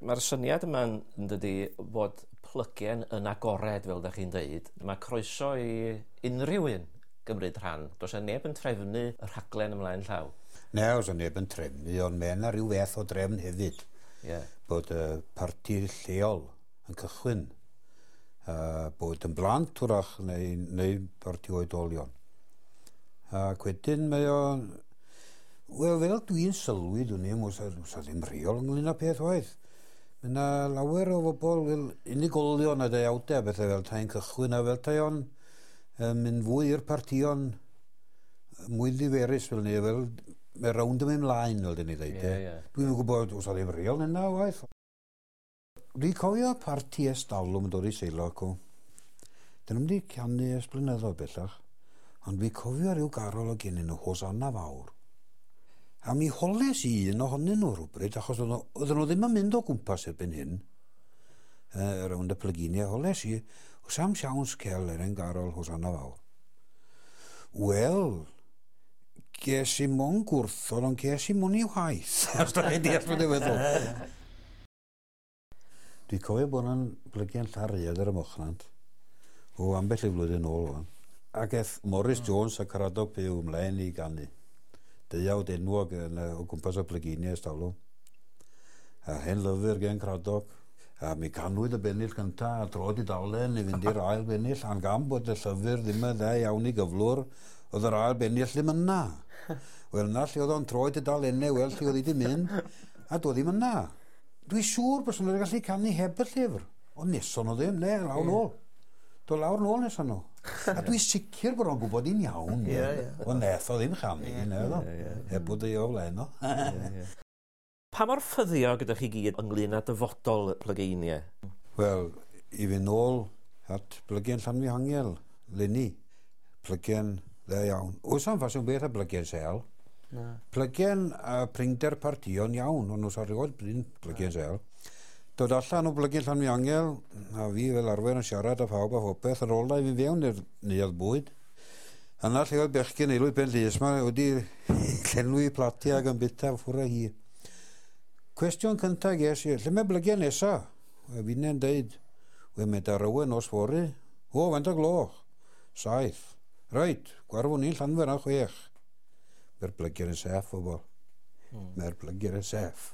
Mae'r syniad yma, yn dydi, bod Plygen yn agored, fel da chi'n deud. Mae croeso i unrhyw un gymryd rhan. Does 'na neb yn trefnu y rhaglen ymlaen llaw. Ne, oes 'na neb yn trefnu, ond mae yna rhyw fath o drefn hefyd. Bod y parti lleol yn cychwyn, bod yn blant wrach neu parti oedolion. Ac wedyn mae o. Wel, fel dwi'n sylwi, dwi'n i'm, oes 'na ddim rheol ynglyn â peth waith. Mae yna lawer o bobl fel unigolion a deuawdau a bethau fel tai'n cychwyn a fel tai o'n mynd fwy i'r partïon mwy ddiferus fel ni, fel mae rownd yn mynd mlaen, fel dyn ni dweud. Ie, ie. Dwi'n gwybod os oedd ddim reol yna waith. Dwi'n cofio parti ers talwm yn dod i Seilo acw. Dyn nhw'n wedi canu ers blynyddoedd bellach, ond dwi'n cofio rhyw garol o gennyn nhw, Hosanna Fawr. A mi holes i un ohonyn nhw rhywbryd, achos oedden nhw ddim yn mynd o gwmpas erbyn hyn, rownd y plyginiau, holes i, oes am siawns cel er ein garol Hosanna Fawr. Wel, ges i mon gwrthod, ond ges i mon i waith. Os da chi'n deall beth dwi'n feddwl. Dwi'n cofio bod yna'n blygian Llanrhaeadr ar y Mochnant, o ambell i flwyddyn nôl wan. Ac eth Morris Jones a Caradog Pugh ymlaen i ganu. Deuawd enwog yn, o gwmpas y plyginiau ers talwm. A hen lyfr gen Cradog. A mi canwyd y bennill cynta a trod i dalen i fynd i'r ail bennill. A'n gan bod y llyfr ddim yn dda iawn i gyflwr, oedd yr ail bennill ddim yna. Wel, na lle oedd o'n troi dudalennau, wel, lle oedd hi wedi mynd, a doedd ddim yna. Dwi'n siŵr bod nhw'n gallu canu heb y llyfr. Ond neson nhw ddim, ne, lawr nôl. Do lawr nôl neson nhw. A dwi'n sicr bod o'n gwybod i'n iawn. Ie, ie. Ond neth o ddim chanu, ne, oedd o. Heb bod ei o flaen o. Pa mor ffyddiog ydych chi gyd ynglyn â dyfodol y plygeiniau? Wel, i fynd nôl at Blygen Llanfihangel, leni. Plygen dda iawn. Oes am ffasiwn beth a blygen sel. Na. Plygen a prinder partïon iawn, ond oes erioed brin plygen sel. Dod allan o Blygen Llanfihangel, a fi fel arfer yn siarad â phawb a phopeth, ar ôl i fi fewn i'r neuadd bwyd. Yna lle oedd bechgyn Aelwyd Ben Llys ma wedi llenwi platiau ac yn bita ffwrdd â hi. Cwestiwn cyntaf ges i, lle mae blygiau nesa? A finne'n deud, we mae Darowen nos fory. O, faint o gloch? 7. Reit, gwarfwn ni'n Llanfair am 6. Mae'r blygiau yn saff, bobl. Mae'r blygiau yn saff.